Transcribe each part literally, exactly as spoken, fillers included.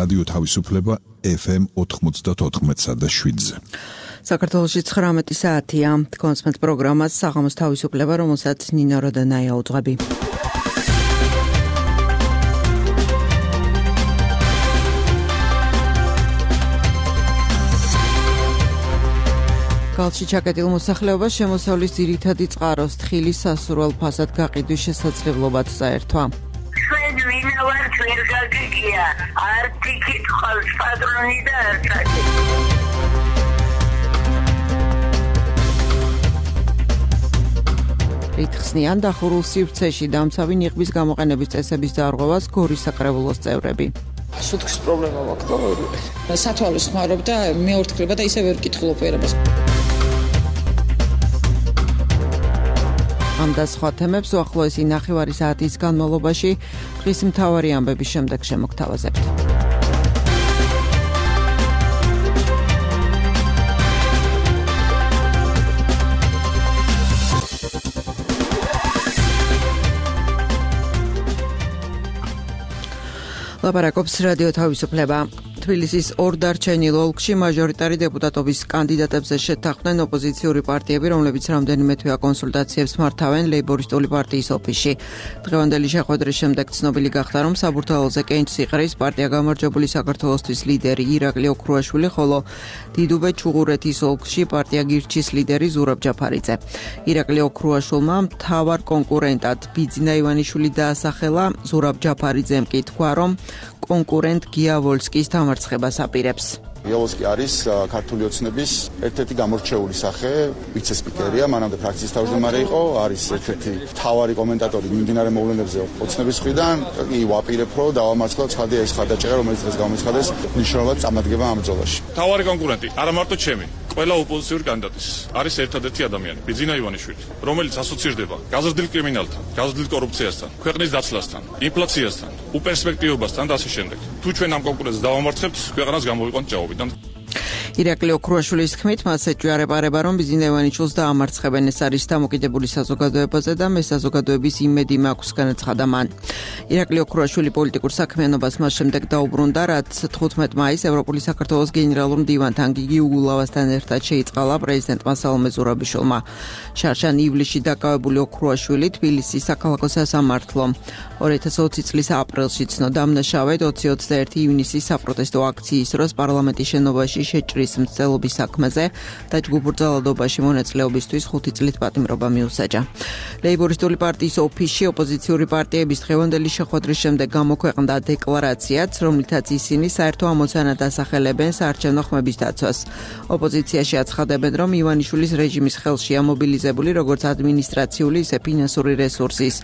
რადიო თავისუფლება ეფ ემ ოთხმოცდაოთხ და შვიდზე. საქართველოში ცხრამეტი საათია. კონსმეთ პროგრამას საღამოს თავისუფლება, რომელსაც ნინო როდანაია უძღვები. გალში ჩაკეტილ მოსახლეობას შემოსავლის ძირითადი წყაროს თხილის სასურველ ფასად გაყიდვის შესაძლებლობაც წაერთვა. ჩვენ ვინ ვართ ვერ გაგიგია, არტი კითხავს პატრონი და არტაკი. რითხსნიან დახურულ სივრცეში დამცავი ნიღბის გამოყენების წესების დარღვევას გორის საკრებულოს წევრები. სუთხის პრობლემა მაქვს და სათვალოს ხმარობ და მეორთქლება და ისე ვერ ვკითხულობ ვერებას. ამ და სხვა თემებს უახლოესი ნახევარი საათის განმავლობაში დღის მთავარი ამბების შემდეგ შემოგთავაზებთ. ლაპარაკობს რადიო თავისუფლება. თბილისის ორ დარჩენილ ოლქში მაჟორიტარი დეპუტატობის კანდიდატებზე შეთანხმდნენ ოპოზიციური პარტიები, რომლებიც რამდენიმე თვეა კონსულტაციებს მართავენ ლეიბორისტული პარტიის ოფისში. დღევანდელი შეხვედრის შემდეგ ცნობილი გახდა, რომ საბურთალოზე კენჭს იყრის პარტია გამარჯვებული საქართველოსთვის ლიდერი ირაკლი ოქრუაშვილი, ხოლო დიდუბე ჩუღურეთის ოლქში პარტია გირჩის ლიდერი ზურაბ ჯაფარიძე. ირაკლი ოქრუაშვილმა მთავარ კონკურენტად ბიძინა ივანიშვილი დაასახელა, ზურაბ ჯაფარიძემ კი თქვა, რომ კონკურენტ გია ვოლსკის დამარცხებას აპირებს. იავოსკი არის ქართული ოცნების ერთ-ერთი გამორჩეული სახე, ვიცე-სპიკერია, მანამდე ფრაქციის თავმჯდომარე იყო, არის ერთ-ერთი მთავარი კომენტატორი მიმდინარე მოვლენებზე ოცნების მხრიდან. კი ვაპირებ, რომ დავამარცხოთ ცხადია ეს ხარდაჭერა, რომელიც დღეს გამოცხადეს, მნიშვნელოვნად წამადგება ამ ბრძოლაში. მთავარი კონკურენტი, არა მარტო ჩემი, ყველა ოპოზიციური კანდიდატის არის ერთადერთი ადამიანი, ბიძინა ივანიშვილი, რომელიც ასოცირდება გაზრდილ კრიმინალთან, გაზრდილ კორუფციასთან, ქვეყნის დაცლასთან, ინფლაციასთან, უპერსპექტივობასთან და ასე შემდეგ. თუ ჩვენ ამ კონკურენტს დავამარცხებთ, ქვეყანას გამოვიყვანთ ჭაობიდან. ირაკლი ოქრუაშვილის თქმით, მას ეჭვიარება, რომ ბიძინა ივანიშვილს დაამარცხებენ. ეს არის დამოკიდებული საზოგადოებაზე და მე საზოგადოების იმედი მაქვს, განაცხადა მან. ირაკლი ოქრუაშვილი პოლიტიკურ საქმიანობას მას შემდეგ დაუბრუნდა, რაც თხუთმეტ მაისს ევროპული საქართველოს გენერალურ მდივანთან გიგი უგულავასთან ერთად შეიწყალა პრეზიდენტმა სალომე ზურაბიშვილმა. შარშან ივლისში დაკავებული ოქრუაშვილი თბილისის საქალაქო სასამართლომ ორი ათას ოცი წლის აპრილში ცნო დამნაშავედ ოცი ოცდაერთი ივნისის საპროტესტო აქციის დროს პარლამენტის შენობაში შეჭრის მცდელობის საქმეზე და ჯგუფბრძოლადობაში მონაწილეობისთვის ხუთი წლით პატიმრობა მიუსაჯა. ლეიბორისტული პარტიის ოფისში ოპოზიციური პარტიების დღევანდელი შეხვედრის შემდეგ გამოქვეყნდა დეკლარაციაც, რომლითაც ისინი საერთო ამოცანად ასახელებენ საარჩევნო ხმების დაცვას. ოპოზიციაში აცხადებენ, რომ ივანიშვილის რეჟიმის ხელშია მობილიზებული როგორც ადმინისტრაციული, ისე ფინანსური რესურსის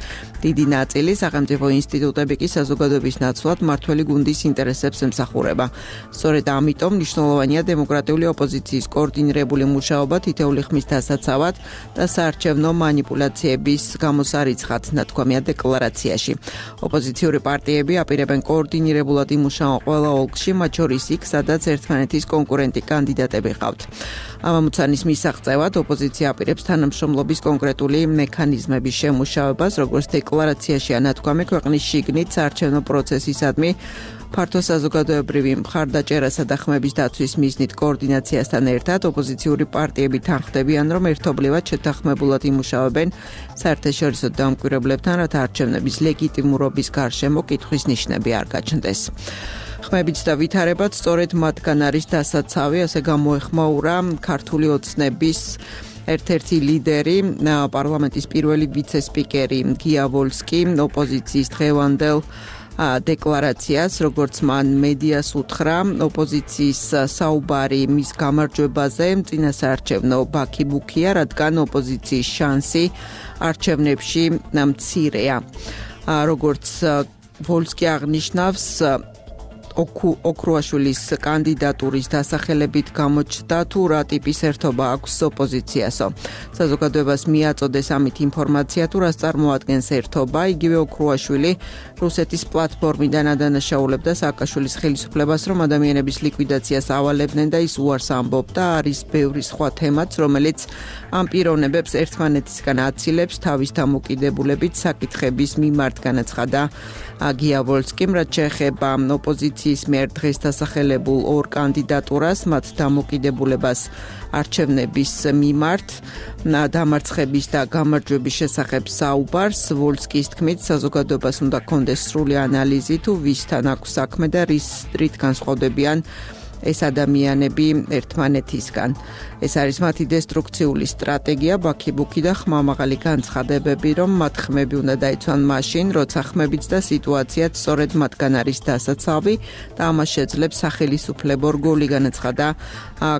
დიდი ნაწილი, სახელმწიფო ინსტიტუტები კი საზოგადოების ნაცვლად მმართველი გუნდის ინტერესებს ემსახურება. სწორედ ამიტომ მნიშვნელოვანია დემოკრატიული ოპოზიციის კოორდინირებული მუშაობა თითოეული ხმის დასაცავად და საარჩევნო მანიპულაციების გამოსარიცხად, ნათქვამია დეკლარაციაში. ოპოზიციური პარტიები აპირებენ კოორდინირებულად იმუშაონ ყველა ოლქში, მათ შორის იქ, სადაც ერთმანეთის კონკურენტი კანდიდატები ყავთ. ამ ამოცანის მისაღწევად ოპოზიცია აპირებს თანამშრომლობის კონკრეტული მექანიზმების შემუშავებას, როგორც დეკლარაციაშია ნათქვამი, ქვეყნის შიგნით საარჩევნო პროცესისადმი ფართო საზოგადოებრივი მხარდაჭერასა და ხმების დაცვის მიზნით კოორდინაციასთან ერთად ოპოზიციური პარტიები თანხმდებიან, რომ ერთობლივად შეთანხმებულად იმუშავებენ საერთაშორისო დამკვირვებლებთან, რათა არჩევნების ლეგიტიმურობის გარშემო კითხვის ნიშნები არ გაჩნდეს. ხმებიც და ვითარებაც სწორედ მათგან არის დასაცავი, ასე გამოეხმაურა ქართული ოცნების ერთ-ერთი ლიდერი, პარლამენტის პირველი ვიცე-სპიკერი გია ვოლსკი, ოპოზიციის დღევანდელ დეკლარაციას, როგორც მან მედიას უთხრა, ოპოზიციის საუბარი მის გამარჯვებაზე წინასაარჩევნო ბაქი-ბუქია, რადგან ოპოზიციის შანსი არჩევნებში მცირეა. როგორც ვოლსკი აღნიშნავს, ოქრუაშვილის კანდიდატურის დასახელებით გამოჩნდა თუ რა ტიპის ერთობა აქვს ოპოზიციასო. საზოგადოებას მიაწოდეს ამით ინფორმაცია თუ რას წარმოადგენს ერთობა. იგივე ოქრუაშვილი რუსეთის პლატფორმიდან ადანაშაულებდა სააკაშვილის ხელისუფლებას, რომ ადამიანების ლიკვიდაციას ავალებდნენ და ის უარს ამბობდა. არის ბევრი სხვა თემაც, რომელიც ამ პიროვნებებს ერთმანეთისგან აცილებს თავის დამოკიდებულებით საკითხების მიმართ, განაცხადა გია ვოლსკიმ, რაც შეეხება ოპოზიციას ოპოზიციის მიერ დღეს დასახელებულ ორ კანდიდატურას, მათ დამოკიდებულებას არჩევნების მიმართ, დამარცხების და გამარჯვების შესახებ საუბარს. ვოლსკის თქმით, საზოგადოებას უნდა კონდეს სრული ანალიზი თუ ვისთან აქვს საქმე და რის რით განსხვავდებიან ეს ადამიანები ერთმანეთისგან. ეს არის მათი დესტრუქციული სტრატეგია, ბაქიბუქი და ხმამაღალი განცხადებები, რომ მათ ხმები უნდა დაიცვან მაშინ, როცა ხმებიც და სიტუაციაც სწორედ მათგან არის დასაცავი და ამას შეძლებს სახელისუფლებო რგოლი, განაცხადა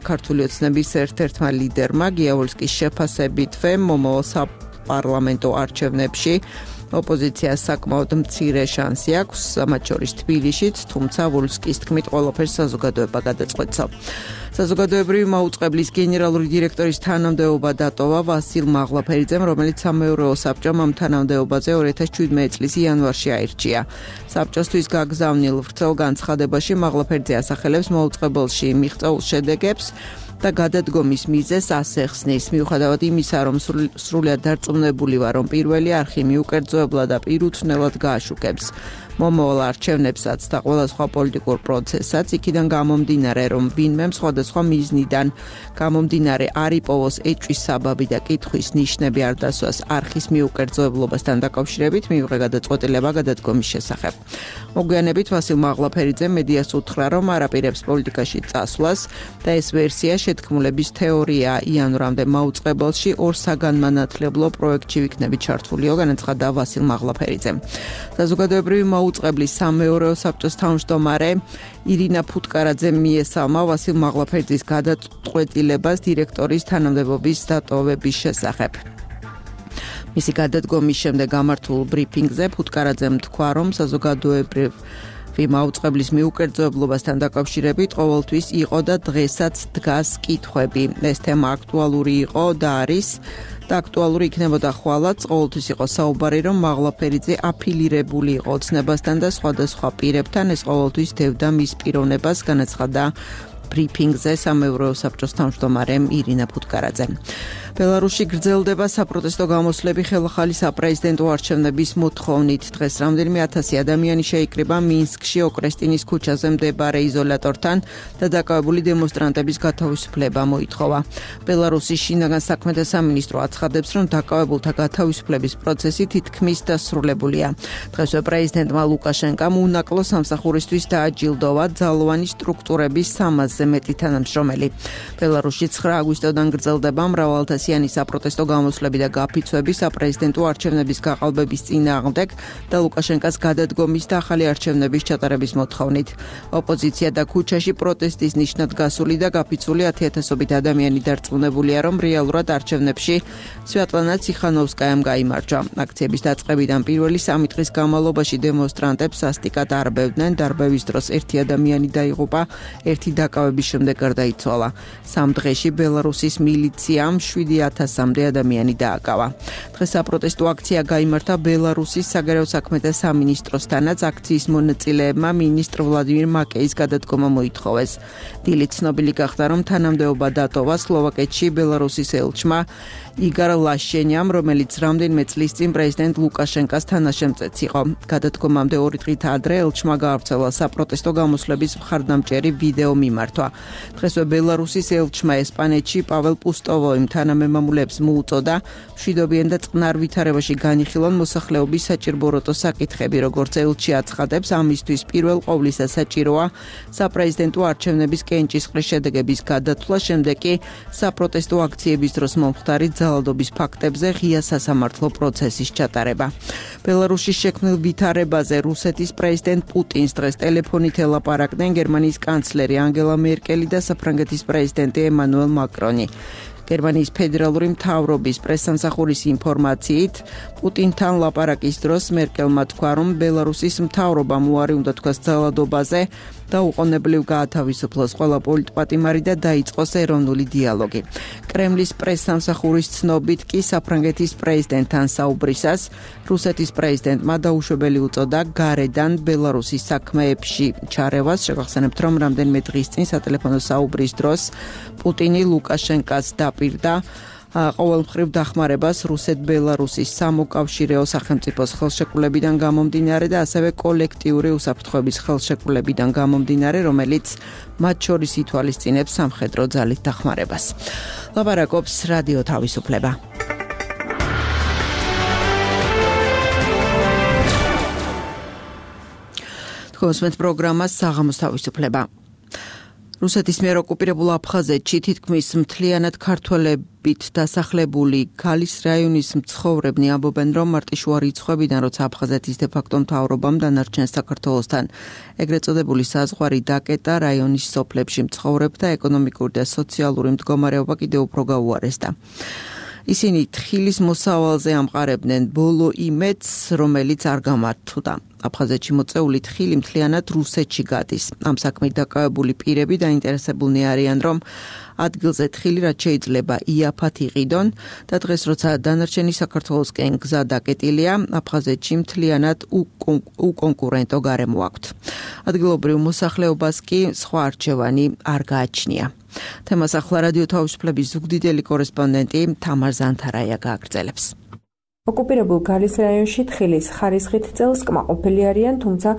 ქართული ოცნების ერთ-ერთმა ლიდერმა. გია ვოლსკის შეფასებითვე მომავალ საპარლამენტო არჩევნებში ოპოზიციას საკმაოდ მცირე შანსი აქვს, მათ შორის თბილისშიც, თუმცა ვოლსკის თქმით ყველაფერს საზოგადოება გადაწყვეტს. საზოგადოებრივი მაუწყებლის გენერალური დირექტორის თანამდებობა დატოვა ვასილ მაღლაფერიძემ, რომელიც სამეურვეო საბჭომ ამ თანამდებობაზე ორი ათას შვიდმეტი წლის იანვარში აირჩია. საბჭოსთვის გაგზავნილ ვრცელ განცხადებაში მაღლაფერიძე ასახელებს მაუწყებელში მიღწეულ შედეგებს და გადადგომის მიზეზს ასე ხსნის. მიუხედავად იმისა, რომ სრულიად დარწმუნებული ვარ, რომ პირველი არხი მიუკერძოებლად და პირუთვნელად გააშუქებს მომავალ არჩევნებსაც და ყველა სხვა პოლიტიკურ პროცესსაც, იქიდან გამომდინარე, რომ ვინმე სხვადასხვა მიზნიდან გამომდინარე არ იპოვოს ეჭვის საბაბი და კითხვის ნიშნები არ დასვას არხის მიუკერძოებლობასთან დაკავშირებით, მიიღო გადაწყვეტილება გადადგომის შესახებ. მოგვიანებით ვასილ მაღლაფერიძემ მედიას უთხრა, რომ არაპირებს პოლიტიკაში წასვლას და ეს ვერსია შეთქმულების თეორია იანვრამდე მაუწყებელში ორ საგანმანათლებლო პროექტში ვიქნები ჩართულიო, განაცხადა ვასილ მაღლაფერიძემ. საზოგადოებრივი მაუწყებლის სამეურვეო საბჭოს თავმჯდომარე ირინა ფუტკარაძემ მიესალმა ვასილ მაღლაფერიძის გადაწყვეტილებას დირექტორის თანამდებობის დატოვების შესახებ. მისი გადადგომის შემდეგ გამართულ ბრიფინგზე ფუტკარაძემ თქვა, რომ საზოგადოებრივ მაუწყებლის მიუკერძოებლობასთან დაკავშირებით ყოველთვის იყო და დღესაც დგას კითხვები. ეს თემა აქტუალური იყო და არის და აქტუალური იქნებოდა ხვალაც. ყოველთვის იყო საუბარი, რომ მაღლაფერიძე აფილირებული იყო ოცნებასთან და სხვადასხვა პირებთან, ეს ყოველთვის დევდა მის პიროვნებას, განაცხადა ბრიფინგზე სამეურვეო საბჭოს თავმჯდომარემ ირინა ფუტკარაძე. ბელარუსში გრძელდება საპროტესტო გამოსვლები ხელახალი საპრეზიდენტო არჩევნების მოთხოვნით. დღეს რამდენიმე ათასი ადამიანი შეიკრიბა მინსკში ოკრესტინის ქუჩაზე მდებარე იზოლატორთან და დაკავებული დემონსტრანტების გათავისუფლება მოითხოვა. ბელარუსის შინაგან საქმეთა სამინისტრო აცხადებს, რომ დაკავებულთა გათავისუფლების პროცესი თითქმის დასრულებულია. დღესვე პრეზიდენტმა ლუკაშენკამ უნაკლო სამსახურისთვის დააჯილდოვა ძალოვანი სტრუქტურების სამასზე მეტი თანამშრომელი. ბელარუსში ცხრა აგვისტოდან გრძელდება მრავალთასიანი საპროტესტო გამოსვლები და გაფიცვები საპრეზიდენტო არჩევნების გაყალბების წინააღმდეგ და ლუკაშენკას გადადგომის და ახალი არჩევნების ჩატარების მოთხოვნით. ოპოზიცია და ქუჩაში პროტესტის ნიშნად გასული და გაფიცული ათიათასობით ადამიანი დარწმუნებულია, რომ რეალურად არჩევნებში სვიატლანა ციხანოვსკაიამ გაიმარჯვა. აქციების დაწყებიდან პირველი სამი დღის განმავლობაში დემონსტრანტებს სასტიკად არბევდნენ. დარბევის დროს ერთი ადამიანი დაიღუპა, ერთი დაკავების შემდეგ გარდაიცვალა. სამ დღეში ბელარუსის მილიციამ შვიდი ათასამდე ადამიანი დააკავა. დღეს საპროტესტო აქცია გაიმართა ბელარუსის საგარეო საქმეთა სამინისტროსთანაც. აქციის მონაწილეებმა მინისტრ ვლადიმირ მაკეის გადადგომა მოითხოვეს. დილით ცნობილი გახდა, რომ თანამდებობა დატოვა სლოვაკეთში ბელარუსის ელჩმა იგარ ლაშენიამ, რომელიც რამდენიმე წლის წინ პრეზიდენტ ლუკაშენკას თანაშემწეც იყო. გადადგომამდე ორი დღით ადრე ელჩმა გაავრცელა საპროტესტო გამოსვლების მხარდამჭერი ვიდეო მიმართვა. დღესვე ბელარუსის ელჩმა ესპანეთში პაվել პუსტოვოიმ თანამემამულეებს მოუწოდა მშვიდობიან და წყნარ ვითარებაში განიხილონ მოსახლეობის საჭირბოროტო საკითხები, როგორც ელჩი აცხადებს, ამისთვის პირველ ყოვლისა საჭიროა საპრეზიდენტო არჩევნების კენჭისყრის შედეგების გადათვლა, შემდეგ კი საპროტესტო აქციების დროს მომხდარი ძალადობის ფაქტებზე ღია სასამართლო პროცესის ჩატარება. ბელარუსის შექმნილ ვითარებაზე რუსეთის პრეზიდენტ პუტინს დღეს ტელეფონით ელაპარაკდნენ გერმანიის კანცლერი ანგელა მერკელი და საფრანგეთის პრეზიდენტი ემანუელ მაკრონი. გერმანიის ფედერალური მთავრობის პრესსამსახურის ინფორმაციით, პუტინთან ლაპარაკის დროს მერკელმა თქვა, რომ ბელარუსის მთავრობამ უარი უნდა თქვას ძალადობაზე და უყოვნებლივ გაათავისუფლოს ყველა პოლიტპატიმარი და დაიწყოს ეროვნული დიალოგი. კრემლის პრესსამსახურის ცნობით კი საფრანგეთის პრეზიდენტთან საუბრისას რუსეთის პრეზიდენტმა დაუშვებელი უწოდა გარედან ბელარუსის საქმეებში ჩარევას. შეგახსენებთ, რომ რამდენიმე დღის წინ სატელეფონო საუბრის დროს პუტინი ლუკაშენკას დაპირდა ყოველმხრივ დახმარებას რუსეთ-ბელარუსის სამოკავშირეო სახელმწიფოს ხელშეკრულებიდან გამომდინარე და ასევე კოლექტიური უსაფრთხოების ხელშეკრულებიდან გამომდინარე, რომელიც მათ შორის ითვალისწინებს სამხედრო ძალით დახმარებას. ლაპარაკობს რადიო თავისუფლება. კონსმეთ პროგრამა საღამოს თავისუფლება. რუსეთის მიერ ოკუპირებულ აფხაზეთში თითქმის მთლიანად ქართველებით დასახლებული ქალის რაიონის მცხოვრებნი ამბობენ, რომ მარტიშუა რიცხვებიდან, როცა აფხაზეთის დე-ფაქტო მთავრობამ დანარჩენ საქართველოსთან ეგრეთ წოდებული საზღვარი დაკეტა, რაიონის სოფლებში მცხოვრებთა ეკონომიკური და სოციალური მდგომარეობა კიდევ უფრო გაუარესდა. ისინი თხილის მოსავალზე ამყარებდნენ ბოლო იმედს, რომელიც არ გამართლდა. აფხაზეთში მოწეული თხილი მთლიანად რუსეთში გადის. ამ საქმით დაკავებული პირები დაინტერესებულნი არიან, რომ ადგილზე თხილი რაც შეიძლება იაფად იყიდონ და დღეს როცა დანარჩენი საქართველოსკენ გზა დაკეტილია, აფხაზეთში მთლიანად უკონკურენტო გარემო აქვთ. ადგილობრივ მოსახლეობას კი სხვა არჩევანი არ გააჩნია. თემას ახლა რადიო თავისუფლების ზუგდიდელი კორესპონდენტი თამარ ზანთარაია გააგრძელებს. ოკუპირებულ გალის რაიონში თხილის ხარისხით წელს კმაყოფილი არიან, თუმცა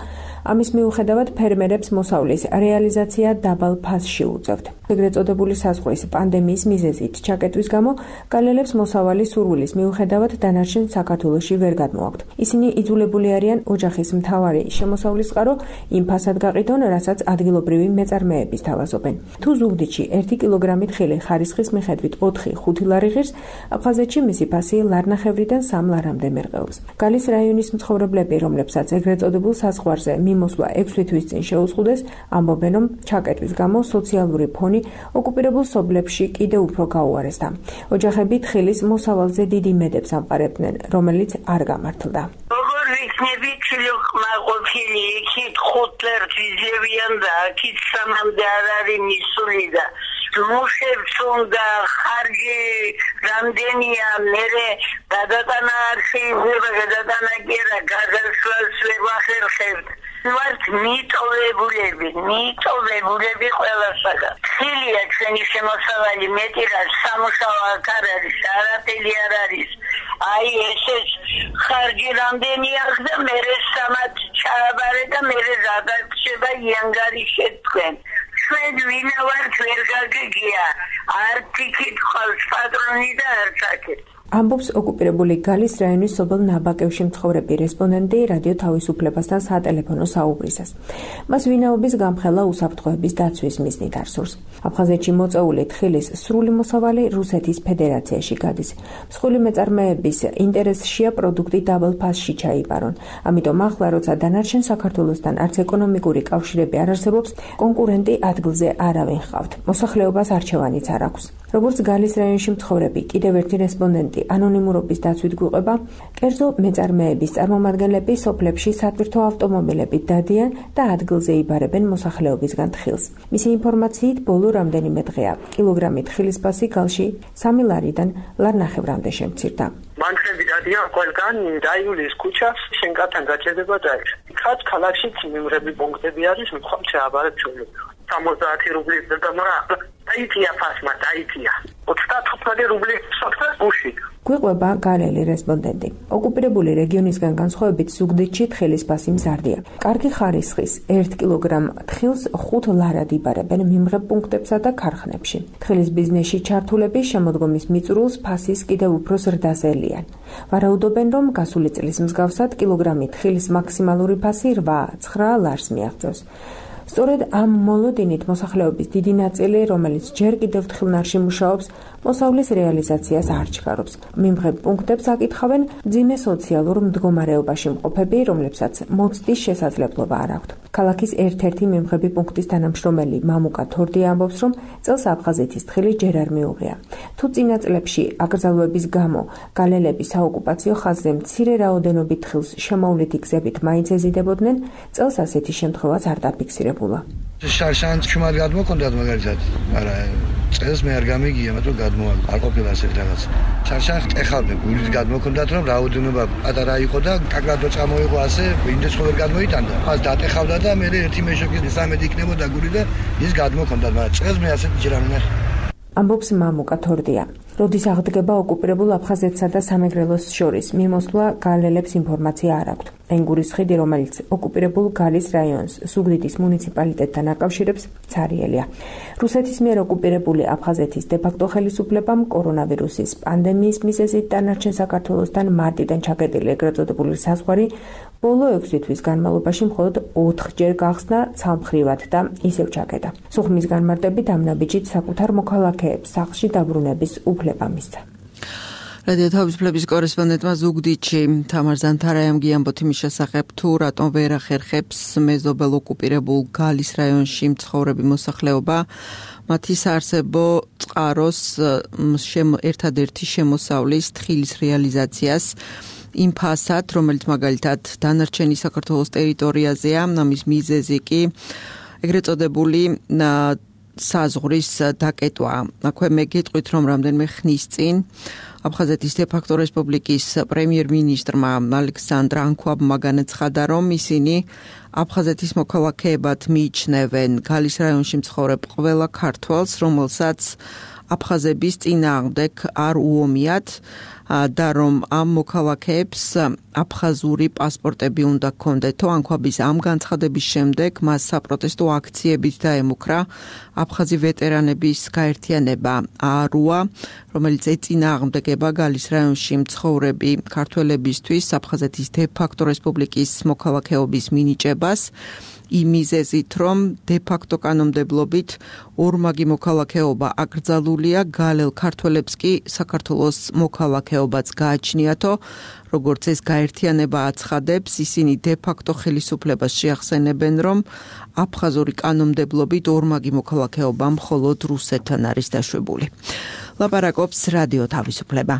ამის მიუხედავად ფერმერებს მოსავლის რეალიზაცია დაბალ ფასში უწევთ. ეგრეთ წოდებული საზღვრის პანდემიის მიზეზით ჩაკეტვის გამო გალელებს მოსავალი სურვილის მიუხედავად დანარჩენ საქართველოში ვერ გადმოაქვთ. ისინი იძულებული არიან ოჯახის მთავარი შემოსავლის წყარო იმ ფასად გაყიდონ, რასაც ადგილობრივი მეწარმეები სთავაზობენ. თუ ზუგდიდში ერთი კილოგრამი თხილი ხარისხის მიხედვით ოთხი ხუთი ლარი ღირს, აფხაზეთში მისი ფასი ლარნახევრიდან სამ ლარამდე მერყეობს. გალის რაიონის მცხოვრებლები, რომლებსაც ეგრეთ წოდებულ საზღვარზე მიმოსვლა ექვსი თვის წინ შეუზღუდეს, ამბობენ, რომ ჩაკეტვის გამო სოციალური ფონი ოკუპირებულ სოფლებში კიდევ უფრო გაუარესდა. ოჯახები თხილის მოსავალზე დიდი იმედებს ამყარებდნენ, რომელიც არ გამართლდა. როგორ ვიქნები კმაყოფილი, იქით ხუთ ლერს იძლევიან და აქით სამამდე არ არის მისული და მუშებს უნდა ხარჯი რამდენია, მერე გადატანა არ შეიძლება, გადატანა კი არა, გადასვლას ვერ ვახერხებთ. ვართ მიტოვებულები, მიტოვებულები ყველასაგან. ხილია ჩვენი შემოსავალი, მეტი რა სამუშაო აქ არ არის, არაფერი არ არის. აი ესეც ხარჯი რამდენი აქვს და მერე სამად ჩააბარე და მერე გადარჩება იანგარიშე თქვენ. ჩვენ ვინა ვართ ვერ გაგიგია, არც იქით ყავს პატრონი და არც აქეთ. ამბობს ოკუპირებული გალის რაიონის სოფელ ნაბაკევში მცხოვრები რესპონდენტი რადიო თავისუფლებასთან სატელეფონო საუბრისას. მას ვინაობის გამხელა უსაფრთხოების დაცვის მიზნით არსურს. აფხაზეთში მოწეული თხილის სრული მოსავალი რუსეთის ფედერაციაში გადის. მსხვილი მეწარმეების ინტერესშია პროდუქტი დაბალ ფასში ჩაიბარონ. ამიტომ ახლა როცა დანარჩენ საქართველოსთან არც ეკონომიკური კავშირები არ არსებობს, კონკურენტი ადგილზე არავინ ჰყავთ. მოსახლეობას არჩევანიც არ აქვს. როგორც გალის რაიონში მცხოვრები კიდევ ერთი რესპონდენტი ანონიმურობის დაცვით გვიყვება, კერძო მეწარმეების წარმომადგენლები სოფლებში სატვირთო ავტომობილებით დადიან და ადგილზე იბარებენ მოსახლეობისგან თხილს. მისი ინფორმაციით ბოლო რამდენიმე დღეა კილოგრამი თხილის ფასი გალში სამი ლარიდან ლარნახევრამდე შემცირდა. მანქანები დადიან ყველგან დაიულის ქუჩას, შენკართან გაჭედება და ეს. ხაც ქალაქშიც მიმღები პუნქტები არის, მხოლოდ შეაბარებ ჩვენები. სამოცდაათი რუბლის და მაგრამ დაიწია ფასმა, დაიწია. ოცდათხუთმეტი რუბლის სოფთა უში. გვიყვება გალელი რესპონდენტი. ოკუპირებული რეგიონისგან განსხვავებით ზუგდიდში თხილის ფასი მზარდია. კარგი ხარისხის ერთ კილოგრამ თხილს ხუთ ლარად იბარებენ მიმღებ პუნქტებსა და ქარხნებში. თხილის ბიზნესში ჩართულები შემოდგომის მიწურულს ფასის კიდევ უფრო ზრდას ელიან. ვარაუდობენ, რომ გასული წლის მსგავსად კილოგრამი თხილის მაქსიმალური ფასი რვა ცხრა ლარს მიაღწევს. სწორედ ამ მოლოდინით მოსახლეობის დიდი ნაწილი, რომელიც ჯერ კიდევ თხილნარში მუშაობს, მოსავლის რეალიზაციას არ ჩქარობს. მიმღებ პუნქტებს აკითხავენ მძიმე სოციალურ მდგომარეობაში მყოფები, რომლებსაც მოცდის შესაძლებლობა არ აქვთ. ქალაქის ერთ-ერთი მიმღები პუნქტის თანამშრომელი მამუკა თორდია ამბობს, რომ წელს აფხაზეთის თხილი ჯერ არ მიუღია. თუ წინა წლებში აკრძალვების გამო გალელები საოკუპაციო ხაზზე მცირე რაოდენობით თხილს შემოვლითი გზებით მაინც ეზიდებოდნენ, წელს ასეთი შემთხვევაც არ დაფიქსირებულა. შარშანს ჩუმად გადმოქონდათ მაგალითად, მაგრამ წელს მე არ გამიგია, მაგრამ გადმოვა არ ყოფილა ასეთი რაღაც. შარშანს ეხავდნენ, გულით გადმოქონდათ, რომ რაოდენობა პატარა იყო და კაკრადო წამოიღო ასე, ინდეს ხო ვერ გადმოიტანდა. მას დატეხავდა და მე ერთი მეშოკის სამედი იქნებოდა გული და ის გადმოქონდათ, მაგრამ წელს მე ასეთი ჯერ არ ვნახე. ამბობს მამუკა თორდია. როდის აღდგება ოკუპირებულ აფხაზეთსა და სამეგრელოს შორის მიმოსვლა გალელებს ინფორმაცია არ აქვთ. ენგურის ხიდი, რომელიც ოკუპირებულ გალის რაიონს ზუგდიდის მუნიციპალიტეტთან აკავშირებს, ცარიელია. რუსეთის მიერ ოკუპირებული აფხაზეთის დე-ფაქტო ხელისუფლებამ კორონავირუსის პანდემიის მიზეზით დანარჩენ საქართველოსთან მარტიდან ჩაკეტილი ეგრეთ წოდებული საზღვარი ბოლო ექვსი თვის განმავლობაში მხოლოდ ოთხჯერ გახსნა ცალმხრივად და ისევ ჩაკეტა. სუხმის განმარტებით ამ ნაბიჯით საკუთარ მოქალაქეებს სახლში დაბრუნების უფლება მისცა. რადიო თავისუფლების კორესპონდენტმა ზუგდიდში თამარ ზანთარაიამ გიამბოთ იმის შესახებ, თუ რატომ ვერ ახერხებს მეზობელ ოკუპირებულ გალის რაიონში მცხოვრები მოსახლეობა მათი საარსებო წყაროს ერთადერთი შემოსავლის თხილის რეალიზაციას იმ ფასად, რომელიც მაგალითად დანარჩენი საქართველოს ტერიტორიაზეა, ამის მიზეზი კი ეგრეთ წოდებული საზღვრის დაკეტვა. აქვე მე გეტყვით, რომ რამდენიმე ხნის წინ აფხაზეთის დე-ფაქტო რესპუბლიკის პრემიერ-მინისტრმა ალექსანდრ ანქვაბმა განაცხადა, რომ ისინი აფხაზეთის მოქალაქეებად მიიჩნევენ გალის რაიონში მცხოვრებ ყველა ქართველს, რომელსაც აფხაზების წინააღმდეგ არ უომიათ და რომ ამ მოქალაქეებს აფხაზური პასპორტები უნდა ჰქონდეთო. ანქვაბის ამ განცხადების შემდეგ მას საპროტესტო აქციებით დაემუქრა აფხაზი ვეტერანების გაერთიანება არუა, რომელიც ეწინააღმდეგება გალის რაიონში მცხოვრები ქართველებისთვის აფხაზეთის დე-ფაქტო რესპუბლიკის მოქალაქეობის მინიჭებას. იმ მიზეზით, რომ დე-ფაქტო კანონმდებლობით ორმაგი მოქალაქეობა აკრძალულია, გალელ ქართველებს კი საქართველოს მოქალაქეობაც გააჩნიათო. როგორც ეს გაერთიანება აცხადებს, ისინი დე-ფაქტო ხელისუფლებას შეახსენებენ, რომ აფხაზური კანონმდებლობით ორმაგი მოქალაქეობა მხოლოდ რუსეთთან არის დაშვებული. ლაპარაკობს რადიო თავისუფლება.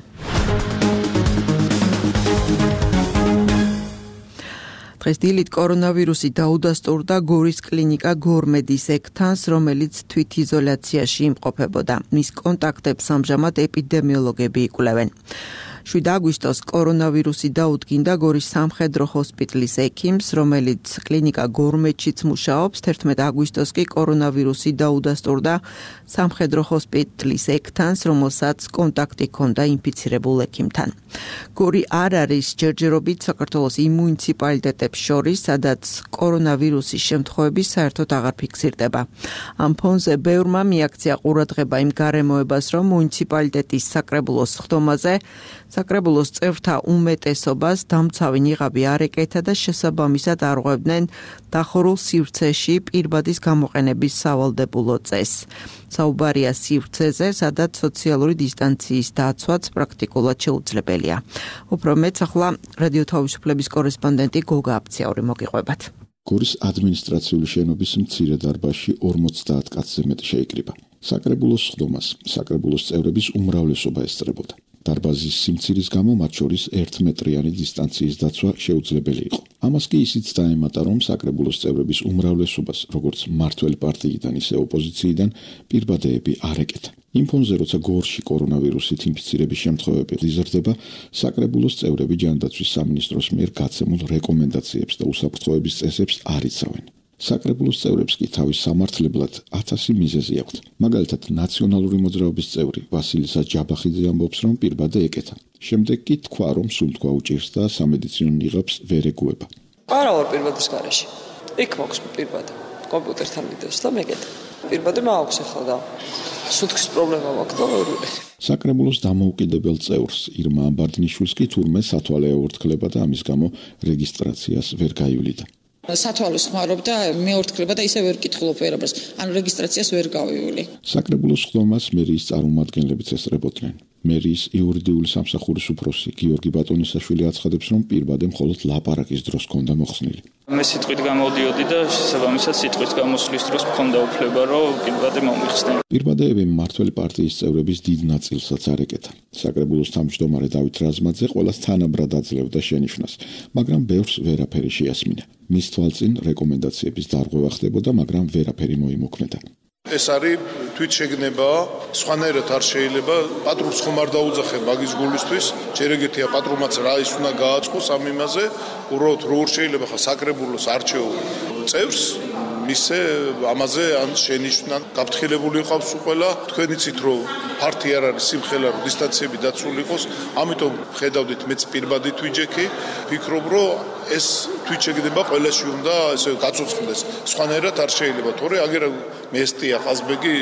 დღეს დილით კორონავირუსი დაუდასტურდა გორის კლინიკა გორმედის ექთანს, რომელიც თვითიზოლაციაში იმყოფებოდა. მის კონტაქტებს ამჟამად ეპიდემიოლოგები იკვლევენ. შვიდ აგვისტოს კორონავირუსი დაუდგინდა გორის სამხედრო ჰოსპიტალის ექიმს, რომელიც კლინიკა გორმედშიც მუშაობს. თერთმეტ აგვისტოს კი კორონავირუსი დაუდასტურდა სამხედრო ჰოსპიტალის ექთანს, რომელსაც კონტაქტი ჰქონდა ინფიცირებულ ექიმთან. გორი არ არის ჯერჯერობით საქართველოს იმ მუნიციპალიტეტებს შორის, სადაც კორონავირუსის შემთხვევები საერთოდ აღარ ფიქსირდება. ამ ფონზე ბევრმა მიაქცია ყურადღება იმ გარემოებას, რომ მუნიციპალიტეტის საკრებულოს სხდომაზე საკრებულოს წევრთა უმეტესობას დამცავი ნიღაბი არ ეკეთა და შესაბამისად არღვევდნენ დახურულ სივრცეში პირბადის გამოყენების სავალდებულო წესს. საუბარია სივრცეზე, სადაც სოციალური დისტანციის დაცვაც პრაქტიკულად შეუძლებელია. უფრო მეც ახლა რადიო თავისუფლების კორესპონდენტი გოგა აფციაური მოგიყვებათ. გორის ადმინისტრაციული შენობის მცირე დარბაზში ორმოცდაათ კაცზე მეტი შეიკრიბა. საკრებულოს სხდომას საკრებულოს წევრების უმრავლესობა ესწრებოდა. დარბაზის სიმცირის გამო მათ შორის ერთმეტრიანი დისტანციის დაცვა შეუძლებელი იყო. ამას კი ისიც დაემატა, რომ საკრებულოს წევრების უმრავლესობას, როგორც მმართველი პარტიიდან, ისე ოპოზიციიდან, პირბადეები არ ეკეთა. იმ ფონზე, როცა გორში კორონავირუსით ინფიცირების შემთხვევები იზრდება, საკრებულოს წევრები ჯანდაცვის სამინისტროს მიერ გაცემულ რეკომენდაციებს და უსაფრთხოების წესებს არ იცავენ. საკრებულოს წევრებს კი თავის სამართლებლად ათასი მიზეზი აქვთ. მაგალითად, ნაციონალური მოძრაობის წევრი ვასილისა ჯაბახიძე ამბობს, რომ პირბადე ეკეთა. შემდეგ კი თქვა, რომ სულთქვა უჭირს და სამედიცინო ნიღაბს ვერ ეგუება. არა ვარ პირბადის გარეშე. იქ მაქვს პირბადე. კომპიუტერთან ვიდეოს და მეკეთა. პირბადე მაქვს ახლა და სულთქვის პრობლემა მაქვს და ვერ ვიყიდე. საკრებულოს დამოუკიდებელ წევრს ირმა ამბარდნიშვილს კი თურმე სათვალე ეორთქლება და ამის გამო რეგისტრაციას ვერ გაივლიდა. სათვალოს ხმარობდა, მეორთქლება და ისე ვერ კითხულობ ვერაფერს. ანუ რეგისტრაციას ვერ გავივლი. საკრებულოს სხდომას მერიის წარმომადგენლებიც ესწრებოდნენ. მერიის იურიდიული სამსახურის უფროსი გიორგი ბატონისაშვილი აცხადებს, რომ პირბადე მხოლოდ ლაპარაკის დროს ჰქონდა მოხსნილი. მე სიტყვით გამოდიოდი და შესაბამისად სიტყვის გამოსვლის დროს მქონდა უფლება, რომ პირბადე მომიხსნე. პირბადეები მმართველი პარტიის წევრების დიდ ნაწილსაც არ ეკეთა. საკრებულოს თავმჯდომარე დავით რაზმაძე ყველას თანაბრად აძლევდა შენიშვნას, მაგრამ ბევრს ვერაფერი შეასმინა. მის თვალწინ რეკომენდაციების დარღვევა ხდებოდა, მაგრამ ვერაფერი მოიმოქმედა. ეს არის თვითშეგნება, სხვანაირად არ შეიძლება, პატრულს ხომ არ დაუძახე მაგის გულისთვის, ჯერ ეგეთია პატრულმაც რა ის უნდა გააწყოს ამ იმაზე, უბრალოდ როგორ შეიძლება ხა საკრებულოს არჩეულ წევრს მისე ამაზე ან შენიშვნა გაფრთხილებული იყავს ყველა. თქვენ იცით რომ ფართი არ არის სიმხელა, რომ დისტანციები დაცული იყოს, ამიტომ ხედავდით მეც პირბადით ვიჯექი, ვფიქრობ რომ ეს თვით შეგდება ყველაში უნდა ესე გაცოცხლდეს. სხვანაირად არ შეიძლება, თორე აგერ მესტია ყაზბეგი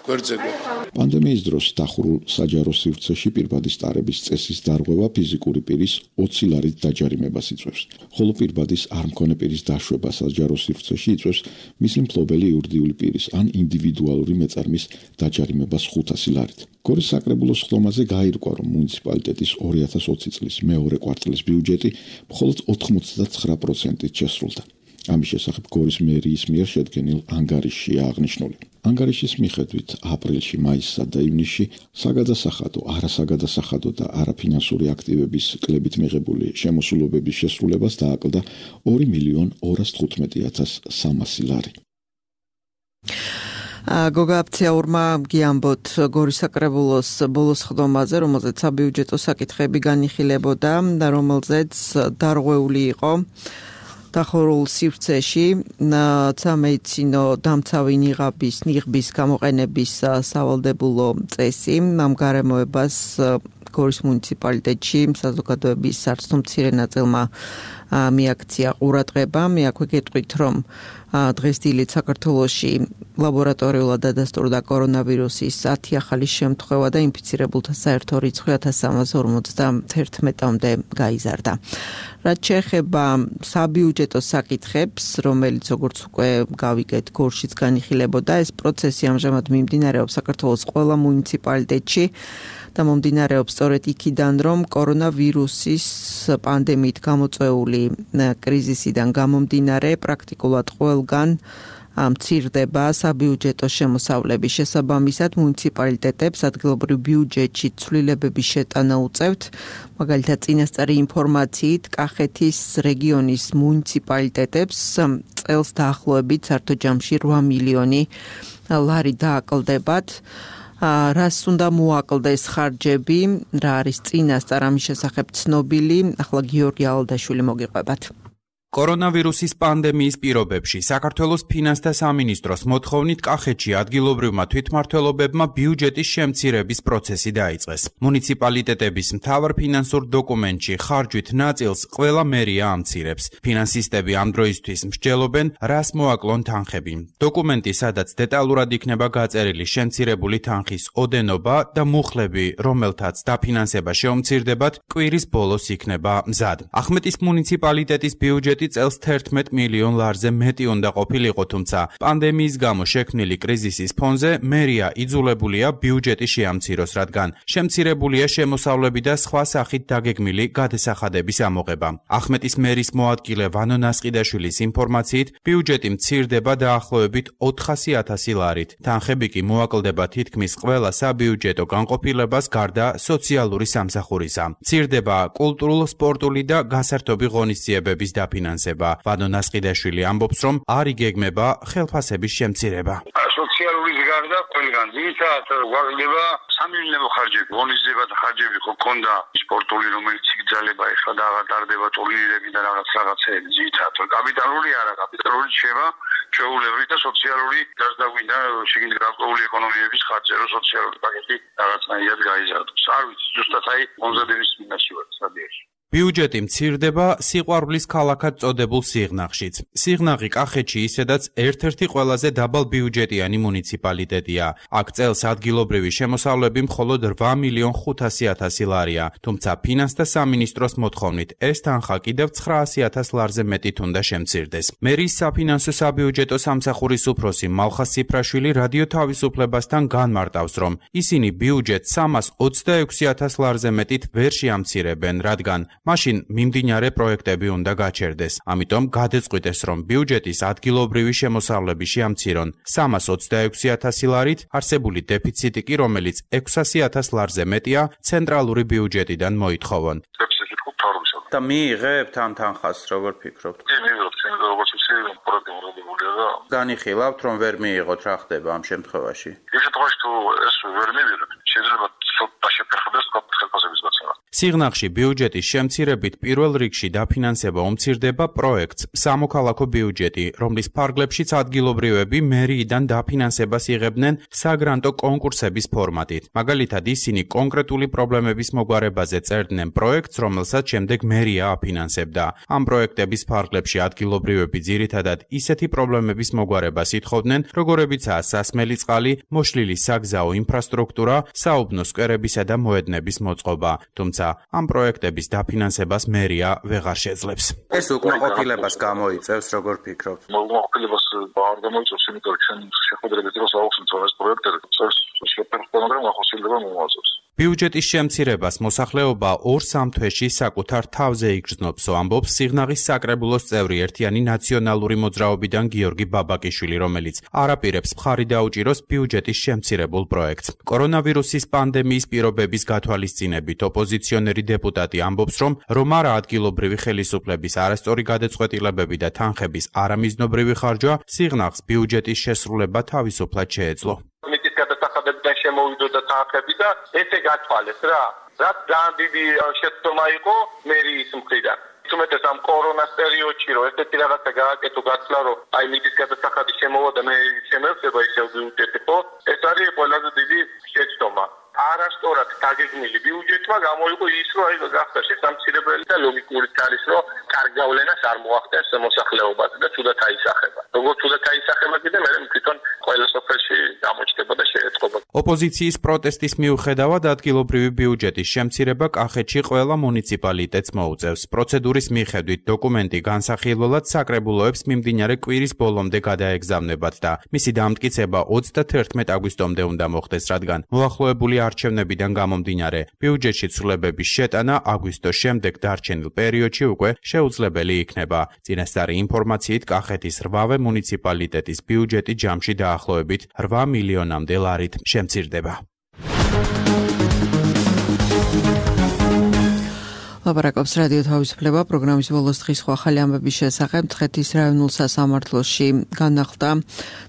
გვერდზეგო. პანდემიის დროს დახურულ საჯარო სივრცეში პირბადის ტარების წესის დარღვევა ფიზიკური პირის ოცი ლარით დაჯარიმებას იწვევს, ხოლო პირბადის არ მქონე პირის დაშვება საჯარო სივრცეში იწვევს მისი მფლობელი იურიდიული პირის ან ინდივიდუალური მეწარმის დაჯარიმებას ხუთასი ლარით. გორის საკრებულოს ხდომაზე გაირკვა, რომ მუნიციპალიტეტის ორი ათას ოცი წლის მეორე კვარტალის ბიუჯეტი მხოლოდ ოთხმოცდათცხრა პროცენტით შესრულდა. ამის შესახებ გორის მერიის მიერ შედგენილ ანგარიშშია აღნიშნული. ანგარიშის მიხედვით აპრილში, მაისსა და ივნისში საგადასახადო, არასაგადასახადო და არაფინანსური აქტივების კლებით მიღებული შემოსულობების შესრულებას დააკლდა ორი მილიონ ორას თხუთმეტი ათას სამასი ლარი. გოგა აფციაურმა გიამბოთ გორის საკრებულოს ბოლოს ხდომაზე, რომელზეც საბიუჯეტო საკითხები განიხილებოდა და რომელზეც დარღვეული იყო დახურულ სივრცეში სამედიცინო დამცავი ნიღაბის ნიღბის გამოყენების სავალდებულო წესი. ამ გარემოებას გორის მუნიციპალიტეტში საზოგადოების სარცხვ მცირე ნაწილმა მიაქცია ყურადღება. მე აქვე გეტყვით, რომ დღეს დილით საქართველოში ლაბორატორიულად დადასტურდა კორონავირუსის ათი ახალი შემთხვევა და ინფიცირებულთა საერთო რიცხვი ათას სამას ორმოცდაერთმეტამდე გაიზარდა. რაც შეეხება საბიუჯეტო საკითხებს, რომელიც როგორც უკვე გავიგეთ, გორშიც განიხილებოდა, ეს პროცესი ამჟამად მიმდინარეობს საქართველოს ყველა მუნიციპალიტეტში და მომდინარეობს სწორედ იქიდან, რომ კორონავირუსის პანდემიით გამოწვეული კრიზისიდან გამომდინარე პრაქტიკულად ყველგან მცირდება საბიუჯეტო შემოსავლების. შესაბამისად, მუნიციპალიტეტებს ადგილობრივ ბიუჯეტში ცვლილებების შეტანა უწევთ. მაგალითად, წინასწარი ინფორმაციით, კახეთის რეგიონის მუნიციპალიტეტებს წელს დაახლოებით საერთო ჯამში რვა მილიონი ლარი დააკლდებათ. რას უნდა მოაკლდეს ხარჯები, რა არის წინასწარ ამის შესახებ ცნობილი, ახლა გიორგი ალდაშვილი მოგიყვებათ. კორონავირუსის პანდემიის პირობებში საქართველოს ფინანსთა სამინისტროს მოთხოვნით კახეთში ადგილობრივმა თვითმმართველობებმა ბიუჯეტის შემცირების პროცესი დაიწყეს. მუნიციპალიტეტების მთავარ ფინანსურ დოკუმენტში ხარჯვით ნაწილს ყველა მერია ამცირებს. ფინანსისტები ამ დროისთვის მსჯელობენ, რას მოაკლონ თანხები. დოკუმენტი, სადაც დეტალურად იქნება გაწერილი შემცირებული თანხის ოდენობა და მუხლები, რომელთაც დაფინანსება შეუმცირდებათ, კვირის ბოლოს იქნება მზად. ახმეტის მუნიციპალიტეტის ბიუჯეტი წელს თერთმეტ მილიონ ლარზე მეტი უნდა ყოფილიყო, თუმცა პანდემიის გამო შექმნილი კრიზისის ფონზე მერია იძულებულია ბიუჯეტი შეამციროს, რადგან შემცირებულია შემოსავლები და სხვა სახით დაგეგმილი გადასახადების ამოღება. ახმეტის მერის მოადგილე ვანო ნასყიდაშვილის ინფორმაციით, ბიუჯეტი მცირდება დაახლოებით ოთხასი ათასი ლარით. თანხები კი მოაკლდება თითქმის ყველა საბიუჯეტო განყოფილებას გარდა სოციალური სამსახურისა. მცირდება კულტურულ, სპორტული და გასართობი ღონისძიებების დაფინანსება. ვანო ნასყიდაშვილი ამბობს, რომ არ იგეგმება ხელფასების შემცირება. სოციალური გარდა ყველგან ძირითადად გვაკლდება სამილიონო ხარჯები, ღონისძიებათა ხარჯები ხო ქონდა, სპორტული რომელიც იგრძელება, ეხლა და აღარ ტურნირები და რაღაც რაღაცეები, ძირითადად კაპიტალური არა, კაპიტალური შეება ჩვეულებრივი და სოციალური გარდაგვინდა შეგიძლია გარკვეული ეკონომიების ხარჯი, რომ სოციალური პაკეტი რაღაცნაირად გაიზარდოს. არ ვიცი, ზუსტად აი მომზადების მინაში ვარ სადიაში. ბიუჯეტი მცირდება სიყვარულის ქალაქად წოდებულ სიღნაღშიც. სიღნაღი კახეთში ისედაც ერთ-ერთი ყველაზე დაბალ ბიუჯეტიანი მუნიციპალიტეტია. აქ წელს ადგილობრივი შემოსავლები მხოლოდ რვა მილიონ ხუთასი ათასი ლარია, თუმცა ფინანსთა სამინისტროს მოთხოვნით ეს თანხა კიდევ ცხრაასი ათას ლარზე მეტით უნდა შემცირდეს. მერის საფინანსო საბიუჯეტო სამსახურის უფროსი მალხას ციფრაშვილი რადიო თავისუფლებასთან განმარტავს, რომ ისინი ბიუჯეტს სამას ოცდაექვსი ათას ლარზე მეტით ვერ შეამცირებენ, რადგან მაშინ მიმდინარე პროექტები უნდა გაჩერდეს. ამიტომ გადაწყვიტეს, რომ ბიუჯეტის ადგილობრივი შემოსავლები შეამცირონ სამას ოცდაექვსი ათასი ლარით, არსებული დეფიციტი კი, რომელიც ექვსასი ათას ლარზე მეტია, ცენტრალური ბიუჯეტიდან მოითხოვონ. და მიიღებთ ამ თანხას, როგორ ფიქრობთ? მიიღებთ, როგორც ისე პროექტი მიღებულია და განიხილავთ, რომ ვერ მიიღოთ, რა ხდება ამ შემთხვევაში? იმ შემთხვევაში თუ ეს ვერ მივიღებთ, შეიძლება ცოტა შეფერხდეს ხელფასების გაცემა. სიღნაღში ბიუჯეტის შემცირებით პირველ რიგში დაფინანსება უმცირდება პროექტს სამოქალაქო ბიუჯეტი, რომლის ფარგლებშიც ადგილობრივები მერიიდან დაფინანსებას იღებდნენ საგრანტო კონკურსების ფორმატით. მაგალითად, ისინი კონკრეტული პრობლემების მოგვარებაზე წერდნენ პროექტს, რომელსაც შემდეგ მერია აფინანსებდა. ამ პროექტების ფარგლებში ადგილობრივები ძირითადად ისეთი პრობლემების მოგვარებას ითხოვდნენ, როგორებიცაა სასმელი წყალი, მოშლილი საგზაო ინფრასტრუქტურა, საუბნო სკვერებისა და მოედნების მოწყობა. თუმცა ამ პროექტების დაფინანსებას მერია ვეღარ შეძლებს. ეს უკმაყოფილებას გამოიწევს, როგორ ფიქრობთ? უკმაყოფილებას არ გამოიწევს, იმიტომ რომ ჩვენ შეხვედრების დროს აუხსნით რომ ეს პროექტები წეს შეფერხებიან ახოსილდება მომავალს. ბიუჯეტის შემცირებას მოსახლეობა ორ-სამ თვეში საკუთარ თავზე იგრძნობს, ამბობს სიღნაღის საკრებულოს წევრი ერთიანი ნაციონალური მოძრაობიდან გიორგი ბაბაკიშვილი, რომელიც არაპირებს მხარი დაუჭიროს ბიუჯეტის შემცირებულ პროექტს. კორონავირუსის პანდემიის პირობების გათვალისწინებით ოპოზიციონერი დეპუტატი ამბობს, რომ რომ არა ადგილობრივი ხელისუფლების არასწორი გადაწყვეტილებები და თანხების არამიზნობრივი ხარჯვა სიღნაღს ბიუჯეტის შესრულება თავისუფლად შეეძლო. გადასახადებიდან შემოვიდოდა თანხები და ესე გათვალეს რა. რაც ძალიან დიდი შეცდომა იყო მერიის მხრიდან. თუმცა ამ კორონას პერიოდში რომ ესეთი რაღაცა გააკეთო გაცლა რომ აი მიწის გადასახადი შემოვა და მე შემევსება ისევ ბიუჯეტი ხო? ეს არის ყველაზე დიდი შეცდომა. არასწორად დაგეგმილი ბიუჯეტმა გამოიყო ის რომ აი გახდა შესამცირებელი და ლოგიკური არის რომ კარგ გავლენას არ მოახდენს მოსახლეობაზე და თუდად აისახება. როგორც თუდად აისახება კიდე მე თვითონ ყველა სოფელში გამოჩნდება და შეეწყობა. ოპოზიციის პროტესტის მიუხედავად ადგილობრივი ბიუჯეტის შემცირება კახეთში ყველა მუნიციპალიტეტს მოუწევს. პროცედურის მიხედვით დოკუმენტი განსახილველად საკრებულოებს მიმდინარე კვირის ბოლომდე გადაეგზავნებათ და მისი დამტკიცება ოცდათერთმეტ აგვისტომდე უნდა მოხდეს, რადგან მოახლოებული არჩევნებიდან გამომდინარე ბიუჯეტში ცვლილებების შეტანა აგვისტოს შემდეგ დარჩენილ პერიოდში უკვე შეუძლებელი იქნება. წინასწარი ინფორმაციით კახეთის რვავე მუნიციპალიტეტის ბიუჯეტი ჯამში დაახლოებით რვა მილიონამდე ლარით შემცირდება. ლაპარაკობს რადიო თავისუფლება პროგრამის ბოლოს დღის ახალი ამბების შესახებ. მცხეთის რაიონულ სასამართლოში განახლდა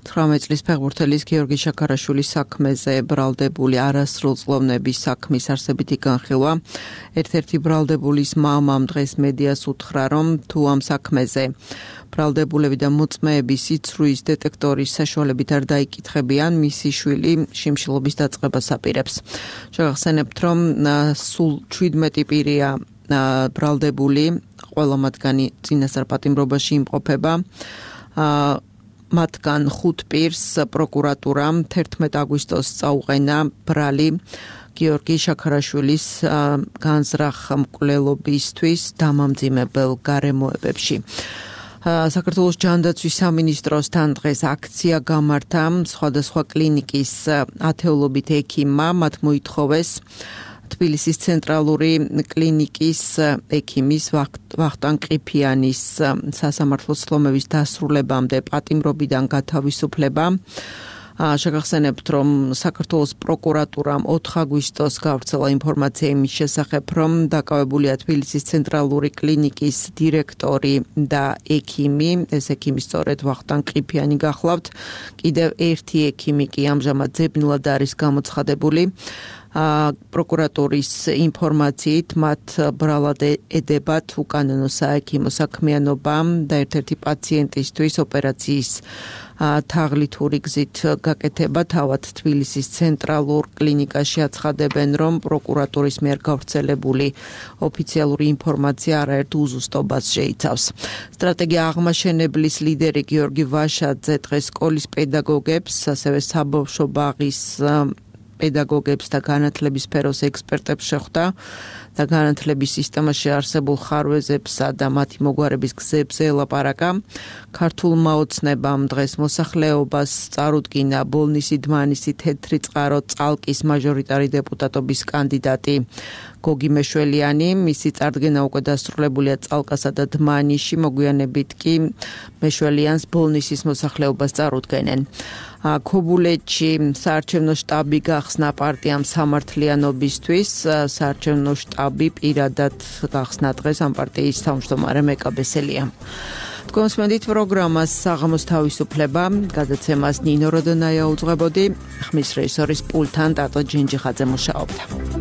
თვრამეტ წლის ფეხბურთელის გიორგი შაქარაშვილის საქმეზე ბრალდებული არასრულწლოვნების საქმის არსებითი განხილვა. ერთ-ერთი ბრალდებულის მამამ დღეს მედიას უთხრა, რომ თუ ამ საქმეზე ბრალდებულები და მოწმეები სიცრუის დეტექტორის საშუალებით არ დაიკითხებიან, მისი შვილი შიმშილობის დაწყებას აპირებს. შევახსენებთ, რომ სულ ჩვიდმეტი პირია ბრალდებული, ყველა მათგანი წინასწარ პატიმრობაში იმყოფება. მათგან ხუთ პირს პროკურატურამ თერთმეტ აგვისტოს წაუყენა ბრალი გიორგი შაქარაშვილის განზრახ მკვლელობისთვის დამამძიმებელ გარემოებებში. საქართველოს ჯანდაცვის სამინისტროსთან დღეს აქცია გამართა სხვადასხვა კლინიკის ათეულობით ექიმმა, მათ მოითხოვეს თბილისის ცენტრალური კლინიკის ექიმის ვახტანგ ყიფიანის სასამართლო სლომების დასრულებამდე პატიმრობიდან გათავისუფლება. შეგახსენებთ, რომ საქართველოს პროკურატურამ ოთხ აგვისტოს გავრცელა ინფორმაცია იმის შესახებ, რომ დაკავებულია თბილისის ცენტრალური კლინიკის დირექტორი და ექიმი. ეს ექიმი სწორედ ვახტანგ ყიფიანი გახლავთ. კიდევ ერთი ექიმი კი ამჟამად ძებნულად არის გამოცხადებული. პროკურატურის ინფორმაციით მათ ბრალად ედებათ უკანონო საექიმო საქმიანობა და ერთ-ერთი პაციენტისთვის ოპერაციის თაღლითური გზით გაკეთება. თავად თბილისის ცენტრალურ კლინიკაში აცხადებენ, რომ პროკურატურის მიერ გავრცელებული ოფიციალური ინფორმაცია არაერთ უზუსტობას შეიცავს. სტრატეგია აღმაშენებლის ლიდერი გიორგი ვაშაძე დღეს სკოლის პედაგოგებს, ასევე საბავშვო ბაღის პედაგოგებს და განათლების სფეროს ექსპერტებს შეხვდა და განათლების სისტემაში არსებულ ხარვეზებსა და მათი მოგვარების გზებზე ელაპარაკა. ქართულმა ოცნებამ დღეს მოსახლეობას წარუდგინა ბოლნისი დმანისი თეთრი წყარო წალკის მაჟორიტარი დეპუტატობის კანდიდატი გოგი მეშველიანი. მისი წარდგენა უკვე დასრულებულია წალკასა და დმანისში, მოგვიანებით კი მეშველიანს ბოლნისის მოსახლეობას წარუდგენენ. ქობულეთში საარჩევნო შტაბი გახსნა პარტიამ სამართლიანობისთვის. საარჩევნო შტაბი პირადად გახსნა დღეს ამ პარტიის თავმჯდომარე მეკაბესელია. თქვენს მედით პროგრამას საღამოს თავისუფლება გადაცემას ნინო როდონაია უძღვებოდი. ხმის რეჟისორის პულტთან ტატო ჯინჯიხაძე მუშაობდა.